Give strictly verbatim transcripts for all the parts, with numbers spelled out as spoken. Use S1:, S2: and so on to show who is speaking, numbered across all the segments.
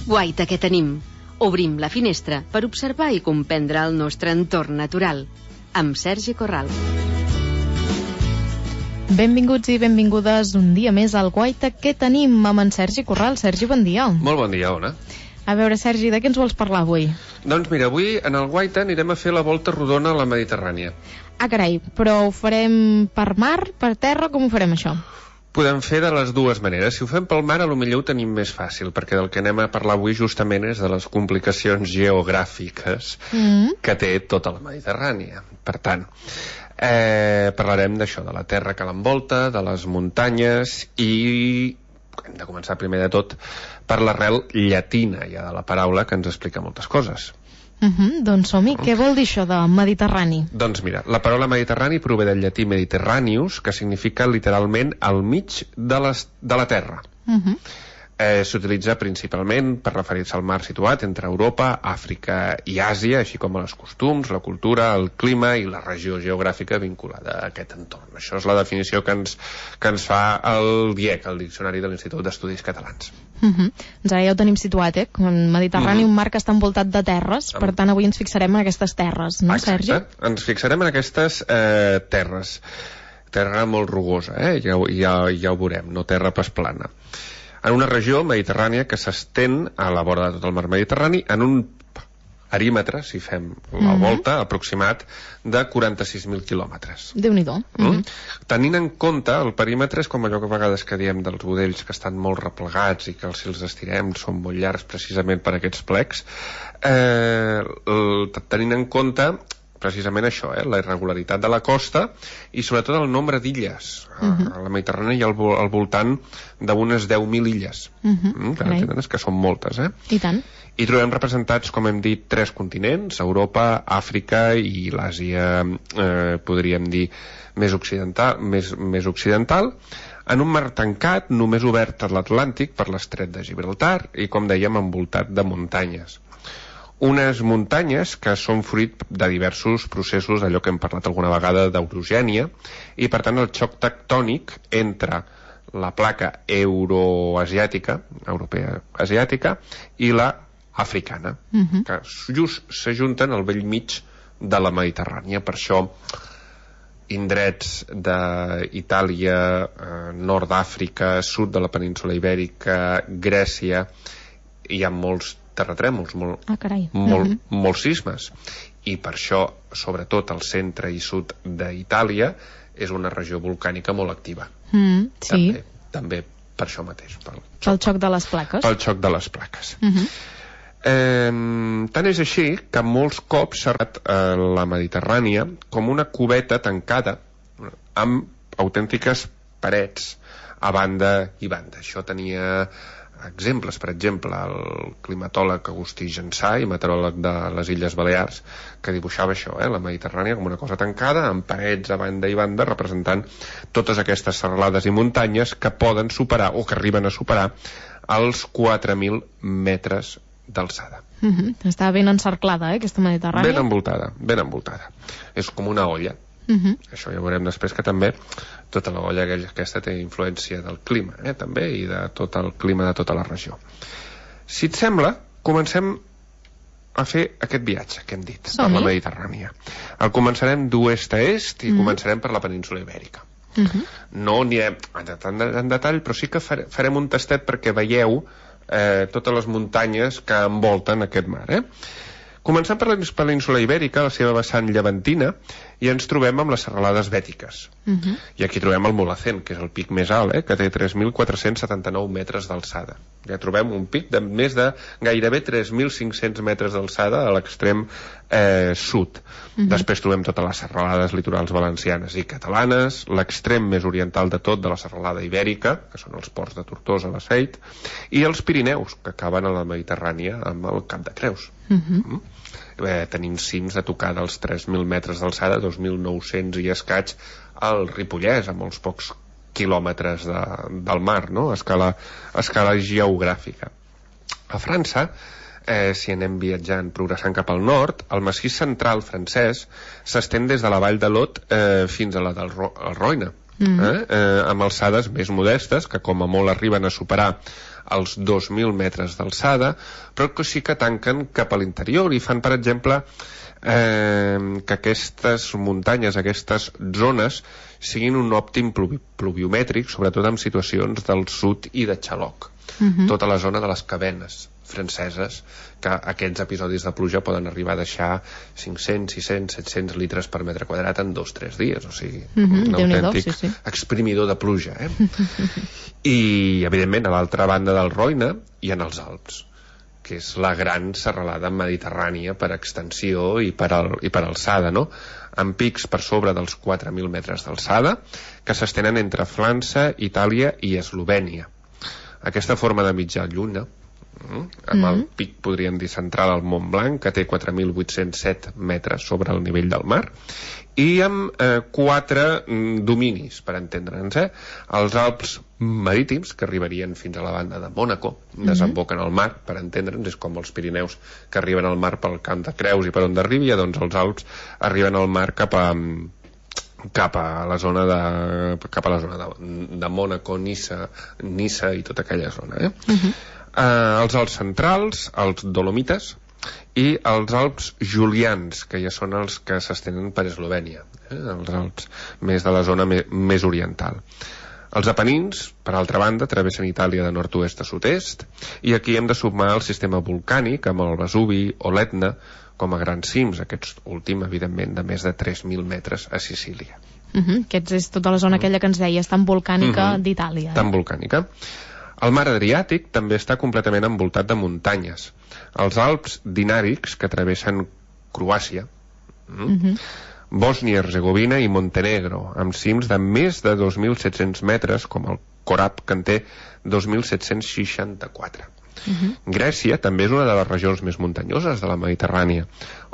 S1: Guaita que tenim. Obrim la finestra per observar i comprendre el nostre entorn natural. Amb Sergi Corral.
S2: Benvinguts i benvingudes un dia més al Guaita que tenim amb en Sergi Corral. Sergi, bon dia.
S3: Molt bon dia, Ona.
S2: A veure, Sergi, de què ens vols parlar avui?
S3: Doncs mira, avui en el Guaita anirem a fer la volta rodona a la Mediterrània.
S2: Ah, carai, però ho farem per mar, per terra, com ho farem això?
S3: Podem fer de les dues maneres. Si ho fem pel mar, a lo millor ho tenim més fàcil, perquè del que anem a parlar avui justament és de les complicacions geogràfiques mm. que té tota la Mediterrània. Per tant, eh, parlarem d'això, de la terra que l'envolta, de les muntanyes i hem de començar primer de tot per l'arrel llatina ja de la paraula, que ens explica moltes coses.
S2: Uh-huh, doncs som-hi. Uh-huh. Què vol dir això de Mediterrani?
S3: Doncs mira, la paraula Mediterrani prové del llatí Mediterraneus, que significa literalment al mig de, les, de la terra. Uh-huh. Eh, s'utilitza principalment per referir-se al mar situat entre Europa, Àfrica i Àsia, així com a les costums, la cultura, el clima i la regió geogràfica vinculada a aquest entorn. Això és la definició que ens, que ens fa el D I E C, el Diccionari de l'Institut d'Estudis Catalans.
S2: Uh-huh. Doncs ara ja ho tenim situat, eh? En Mediterrani, uh-huh. un mar que està envoltat de terres, per tant avui ens fixarem en aquestes terres, no,
S3: Exacte. Sergi? Ens fixarem en aquestes eh, terres. Terra molt rugosa, eh? Ja, ja, ja ho veurem, no terra pas plana. En una regió mediterrània que s'estén a la vora de tot el mar Mediterrani en un perímetre, si fem la mm-hmm. volta, aproximat de quaranta-sis mil quilòmetres.
S2: Déu-n'hi-do. Mm-hmm.
S3: Mm? Tenint en compte, el perímetre és com allò que a vegades que diem dels budells que estan molt replegats i que si els estirem són molt llargs precisament per aquests plecs, eh, el, tenint en compte precisament això, eh? la irregularitat de la costa i sobretot el nombre d'illes. Uh-huh. A la Mediterrània hi ha al, al voltant d'unes deu mil illes. Uh-huh. mm, que, right. que són moltes. Eh?
S2: I tant.
S3: I trobem representats, com hem dit, tres continents, Europa, Àfrica i l'Àsia, eh, podríem dir, més occidental, més, més occidental, en un mar tancat, només obert a l'Atlàntic per l'estret de Gibraltar i, com dèiem, envoltat de muntanyes. Unes muntanyes que són fruit de diversos processos, d'allò que hem parlat alguna vegada d'orogènia, i per tant el xoc tectònic entre la placa euroasiàtica, europea asiàtica, i la africana, uh-huh. que just s'ajunten al bell mig de la Mediterrània. Per això indrets d'Itàlia, eh, nord d'Àfrica, sud de la península Ibèrica, Grècia, hi ha molts terratrèmols, molt,
S2: ah,
S3: molt,
S2: uh-huh.
S3: molts sismes, i per això sobretot el centre i sud d'Itàlia és una regió volcànica molt activa.
S2: Mm, sí.
S3: també, també per això mateix, pel xoc,
S2: pel xoc de les plaques
S3: pel xoc de les plaques.
S2: Uh-huh.
S3: eh, tant és així que molts cops s'ha arribat a la Mediterrània com una cubeta tancada amb autèntiques parets a banda i banda. Això tenia exemples, per exemple, el climatòleg Agustí Jansà i meteoròleg de les Illes Balears, que dibuixava això, eh, la Mediterrània com una cosa tancada, amb parets a banda i banda, representant totes aquestes serralades i muntanyes que poden superar, o que arriben a superar, els quatre mil metres d'alçada.
S2: Uh-huh. Està ben encerclada, eh, aquesta Mediterrània.
S3: Ben envoltada, ben envoltada. És com una olla.
S2: Uh-huh.
S3: Això ja veurem després, que també tota la olla aquesta té influència del clima, eh, també, i de tot el clima de tota la regió. Si et sembla, comencem a fer aquest viatge que hem dit per la Mediterrània. El començarem d'oest a est i uh-huh. començarem per la península Ibèrica. Uh-huh. No anirem en, en detall, però sí que farem un tastet perquè veieu eh, totes les muntanyes que envolten aquest mar, eh? Començant per la península Ibèrica, la seva vessant llevantina, i ens trobem amb les serralades bètiques. Uh-huh. I aquí trobem el Mulhacén, que és el pic més alt, eh, que té tres mil quatre-cents setanta-nou metres d'alçada. Ja trobem un pic de més de gairebé tres mil cinc-cents metres d'alçada a l'extrem eh, sud. Uh-huh. Després trobem totes les serralades litorals valencianes i catalanes, l'extrem més oriental de tot de la serralada Ibèrica, que són els ports de Tortosa, la Seit, i els Pirineus, que acaben a la Mediterrània amb el Cap de Creus. Uh-huh. Mm? Eh, tenim cims a tocar dels tres mil metres d'alçada, dos mil nou-cents i escaig al Ripollès, a molts pocs quilòmetres de, del mar, no? a, escala, a escala geogràfica. A França, eh, si anem viatjant, progressant cap al nord, el massís central francès s'estén des de la vall de l'Aude eh, fins a la del Ro Roine. mm. eh? Eh, amb alçades més modestes, que com a molt arriben a superar els dos mil metres d'alçada, però que sí que tanquen cap a l'interior i fan, per exemple, eh, que aquestes muntanyes, aquestes zones, siguin un òptim pluvi pluviomètric, sobretot en situacions del sud i de Xaloc. Mm-hmm. Tota la zona de les Cabenes franceses, que aquests episodis de pluja poden arribar a deixar cinc-cents, sis-cents, set-cents litres per metre quadrat en dos o tres dies, o sigui,
S2: mm-hmm,
S3: un autèntic
S2: sí, sí.
S3: exprimidor de pluja, eh? I, evidentment, a l'altra banda del Roine hi ha els Alps, que és la gran serralada mediterrània per extensió i per, al, i per alçada, no? Amb pics per sobre dels quatre mil metres d'alçada, que s'estenen entre França, Itàlia i Eslovènia. Aquesta forma de mitja lluna, amb el pic, podríem dir, central al Mont Blanc, que té quatre mil vuit-cents set metres sobre el nivell del mar, i amb eh, quatre mm, dominis, per entendre'ns, eh? Els Alps marítims, que arribarien fins a la banda de Mònaco, desemboquen al mar, per entendre'ns, és com els Pirineus que arriben al mar pel Camp de Creus i per on d'arribi, doncs els Alps arriben al mar cap a cap a la zona de cap a la zona de, de Mònaco, Niça, Niça i tota aquella zona, eh? Uh-huh. Uh, els Alps centrals, els Dolomites i els Alps Julians, que ja són els que s'estenen per Eslovènia, eh? Els Alps més de la zona me més oriental. Els Apenins, per altra banda, travessen Itàlia de nord-oest a sud-est, i aquí hem de sumar el sistema volcànic amb el Vesuvi o l'Etna com a grans cims, aquest últim, evidentment, de més de tres mil metres a Sicília.
S2: Uh-huh. Aquesta és tota la zona aquella que ens deies, tan volcànica uh-huh. d'Itàlia. Eh?
S3: Tan volcànica. El mar Adriàtic també està completament envoltat de muntanyes. Els Alps Dinàrics, que travessen Croàcia, uh-huh. Bòsnia-Herzegovina i Montenegro, amb cims de més de dos mil set-cents metres, com el Corab, que en té dos mil set-cents seixanta-quatre. Uh-huh. Grècia també és una de les regions més muntanyoses de la Mediterrània,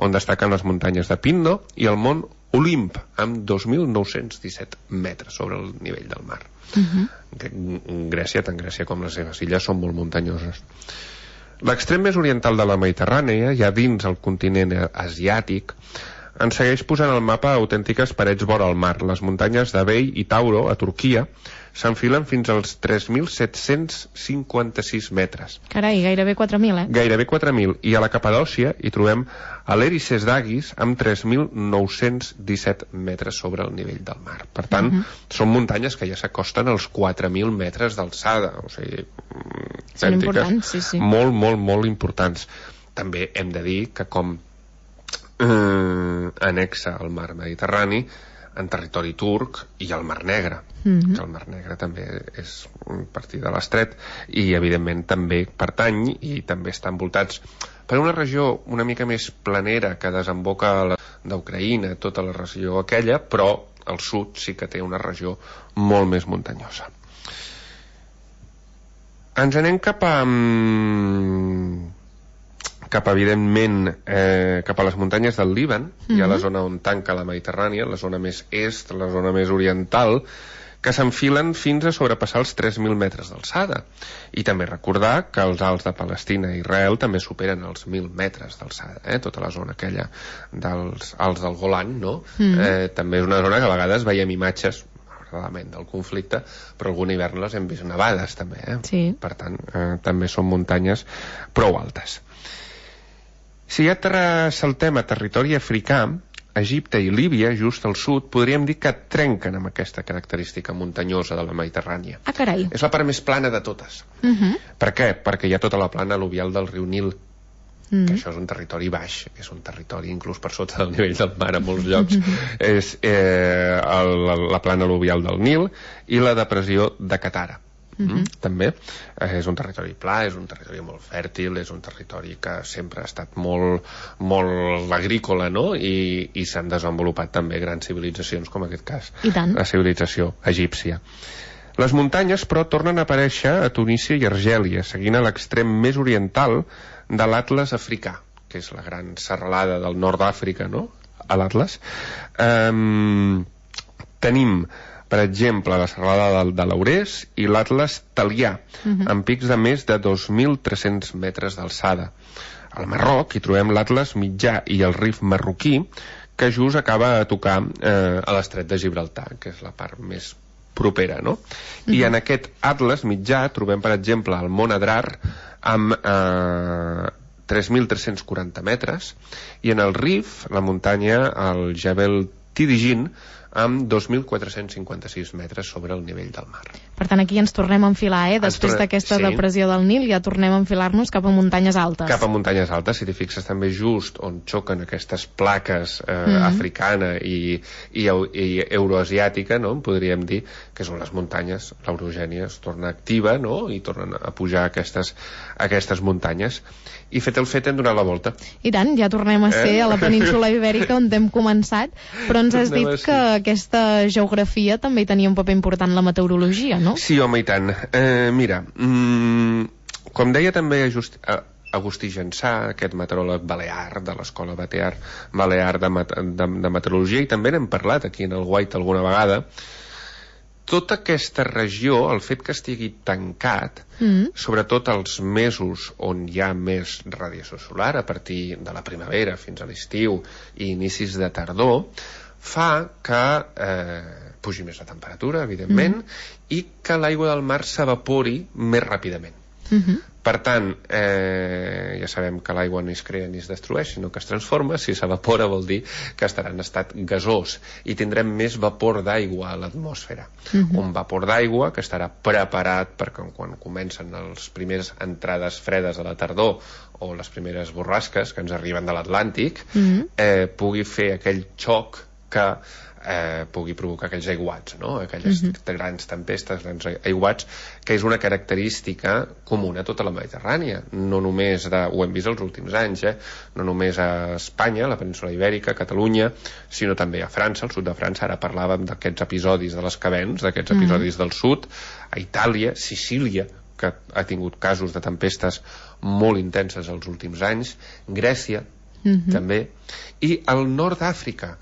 S3: on destaquen les muntanyes de Pindo i el mont Olimp, amb dos mil nou-cents disset metres sobre el nivell del mar. Uh-huh. Grècia, tant Grècia com les seves illes, són molt muntanyoses. L'extrem més oriental de la Mediterrània, ja dins el continent asiàtic, ens segueix posant al mapa autèntiques parets vora el mar. Les muntanyes de Vei i Tauro, a Turquia, s'enfilen fins als tres mil set-cents cinquanta-sis metres.
S2: Carai, gairebé quatre mil, eh?
S3: Gairebé quatre mil. I a la Capadòcia hi trobem a l'Erices d'Aguis amb tres mil nou-cents disset metres sobre el nivell del mar. Per tant, uh-huh. són muntanyes que ja s'acosten als quatre mil metres d'alçada. O sigui,
S2: són importants, sí, sí.
S3: Molt, molt, molt importants. També hem de dir que com eh, anexa al mar Mediterrani, en territori turc i al Mar Negre, mm-hmm. que el Mar Negre també és un partir de l'estret i evidentment també pertany i també està envoltats per una regió una mica més planera que desemboca d'Ucraïna, tota la regió aquella, però al sud sí que té una regió molt més muntanyosa. Ens anem cap a cap evidentment eh, cap a les muntanyes del Líban, mm-hmm. hi ha la zona on tanca la Mediterrània, la zona més est, la zona més oriental, que s'enfilen fins a sobrepassar els tres mil metres d'alçada. I també recordar que els Alts de Palestina i Israel també superen els mil metres d'alçada, eh? Tota la zona aquella dels Alts del Golan, no? Mm-hmm. eh, també és una zona que a vegades veiem imatges del conflicte, però algun hivern les hem vist nevades també, eh?
S2: Sí.
S3: Per tant, eh, també són muntanyes prou altes. Si ja saltem a territori africà, Egipte i Líbia, just al sud, podríem dir que trenquen amb aquesta característica muntanyosa de la Mediterrània.
S2: Ah, carai.
S3: És la part més plana de totes.
S2: Uh-huh.
S3: Per què? Perquè hi ha tota la plana al·luvial del riu Nil,
S2: uh-huh.
S3: que això és un territori baix, és un territori inclús per sota del nivell del mar a molts llocs. Uh-huh. És eh, el, la plana al·luvial del Nil i la depressió de Katara. Uh-huh. També eh, és un territori pla, és un territori molt fèrtil, és un territori que sempre ha estat molt, molt agrícola, no? I, i s'han desenvolupat també grans civilitzacions, com en aquest cas
S2: I tant.
S3: La civilització egípcia. Les muntanyes, però, tornen a aparèixer a Tunísia i Argèlia, seguint a l'extrem més oriental de l'Atles africà, que és la gran serralada del nord d'Àfrica, no? A l'Atles. Um, tenim per exemple, la serralada de, de l'Aurès i l'Atles Talià, uh-huh. amb pics de més de dos mil tres-cents metres d'alçada. Al Marroc hi trobem l'Atles mitjà i el Rif marroquí, que just acaba a tocar eh, a l'estret de Gibraltar, que és la part més propera, no? I en aquest atles mitjà trobem, per exemple, el Mont Adrar amb eh, tres mil tres-cents quaranta metres, i en el Rif, la muntanya, el Jebel Tidigin, amb dos mil quatre-cents cinquanta-sis metres sobre el nivell del mar.
S2: Per tant, aquí ens tornem a enfilar, eh? Després
S3: tornem...
S2: d'aquesta
S3: sí.
S2: depressió del Nil ja tornem a enfilar-nos cap a muntanyes altes.
S3: Cap a muntanyes altes, si t'hi fixes també just on xoquen aquestes plaques eh,
S2: Mm-hmm.
S3: africana i, i, i euroasiàtica, no? Podríem dir que són les muntanyes, l'Eurogènia es torna activa, no? I tornen a pujar aquestes, aquestes muntanyes. I fet el fet hem donat la volta.
S2: I tant, ja tornem a ser eh? a la península Ibèrica on hem començat, però ens has dit que aquesta geografia també hi tenia un paper important la meteorologia, no?
S3: Sí, home, i tant. Eh, mira, mm, com deia també Just, eh, Agustí Jansà, aquest meteoròleg balear de l'escola Balear, balear de, de, de meteorologia, i també n'hem parlat aquí en el White alguna vegada, tota aquesta regió, el fet que estigui tancat, mm. sobretot els mesos on hi ha més radiació solar, a partir de la primavera fins a l'estiu i inicis de tardor, fa que eh, pugi més la temperatura, evidentment, mm. i que l'aigua del mar s'evapori més ràpidament. Mm-hmm. Per tant, eh, ja sabem que l'aigua no es crea ni es destrueix, sinó que es transforma. Si s'evapora vol dir que estarà en estat gasós i tindrem més vapor d'aigua a l'atmosfera. Mm-hmm. Un vapor d'aigua que estarà preparat perquè quan comencen les primeres entrades fredes a la tardor o les primeres borrasques que ens arriben de l'Atlàntic, mm-hmm. eh, pugui fer aquell xoc que eh, pugui provocar aquells aiguats, no? Aquelles mm-hmm. grans tempestes, grans aiguats, que és una característica comuna a tota la Mediterrània, no només de, ho hem vist els últims anys, eh? No només a Espanya, a la península Ibèrica, a Catalunya, sinó també a França, al sud de França. Ara parlàvem d'aquests episodis de les Cabens, d'aquests mm-hmm. episodis del sud, a Itàlia, Sicília, que ha tingut casos de tempestes molt intenses els últims anys, Grècia, mm-hmm. també, i al nord d'Àfrica,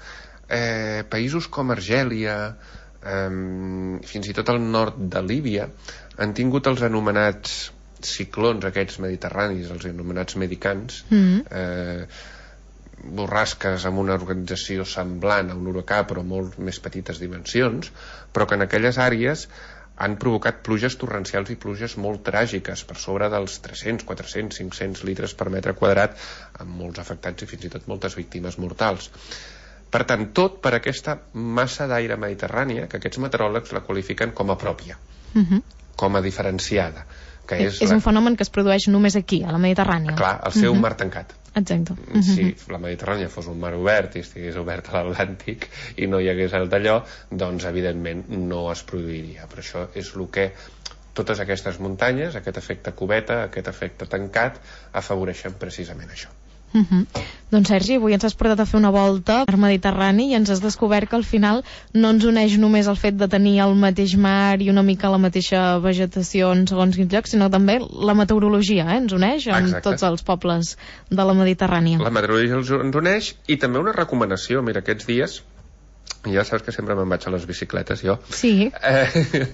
S3: Eh, països com Argèlia, eh, fins i tot al nord de Líbia, han tingut els anomenats ciclons aquests mediterranis, els anomenats medicans, mm-hmm. eh, borrasques amb una organització semblant a un huracà però molt més petites dimensions, però que en aquelles àrees han provocat pluges torrencials i pluges molt tràgiques, per sobre dels tres-cents, quatre-cents, cinc-cents litres per metre quadrat, amb molts afectats i fins i tot moltes víctimes mortals. Per tant, tot per aquesta massa d'aire mediterrània, que aquests meteoròlegs la qualifiquen com a pròpia, uh-huh. com a diferenciada. Que és
S2: és
S3: la...
S2: un fenomen que es produeix només aquí, a la Mediterrània.
S3: Clar, al ser uh-huh. un mar tancat.
S2: Exacte. Uh-huh.
S3: Si la Mediterrània fos un mar obert i estigués obert a l'Atlàntic i no hi hagués el d'allò, doncs evidentment no es produiria. Per això és el que totes aquestes muntanyes, aquest efecte cubeta, aquest efecte tancat, afavoreixen precisament això.
S2: Uh-huh. Doncs Sergi, avui ens has portat a fer una volta al Mediterrani i ens has descobert que al final no ens uneix només el fet de tenir el mateix mar i una mica la mateixa vegetació en segons quins llocs, sinó també la meteorologia, eh? Ens uneix amb Exacte. Tots els pobles de la Mediterrània.
S3: La meteorologia ens uneix, i també una recomanació. Mira, aquests dies, ja saps que sempre me'n vaig a les bicicletes, jo.
S2: Sí. Eh...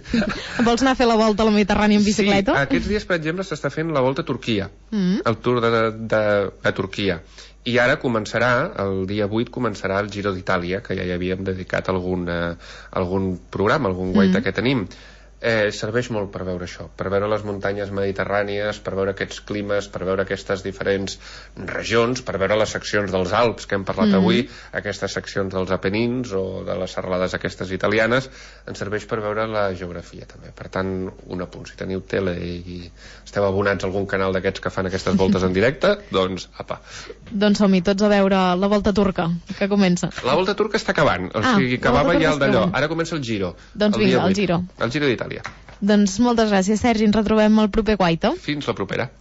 S2: Vols anar a fer la volta a la Mediterrània en bicicleta?
S3: Sí, aquests dies, per exemple, s'està fent la volta a Turquia, mm. el Tour de, de, de Turquia. I ara començarà, el dia vuit, començarà el Giro d'Itàlia, que ja hi havíem dedicat algun, eh, algun programa, algun guaita mm. que tenim. Eh, serveix molt per veure això, per veure les muntanyes mediterrànies, per veure aquests climes, per veure aquestes diferents regions, per veure les seccions dels Alps que hem parlat mm. avui, aquestes seccions dels Apenins o de les serralades aquestes italianes. Ens serveix per veure la geografia també. Per tant, un apunt, si teniu tele i esteu abonats a algun canal d'aquests que fan aquestes voltes en directe, doncs apa.
S2: Doncs som-hi tots a veure la volta turca, que comença.
S3: La volta turca està acabant, o sigui, acabava ja el d'allò, ara comença el Giro.
S2: Doncs
S3: el
S2: vinga, el Giro.
S3: El Giro d'Itàlia.
S2: Doncs moltes gràcies, Sergi. Ens retrobem el proper Guaita.
S3: Fins la propera.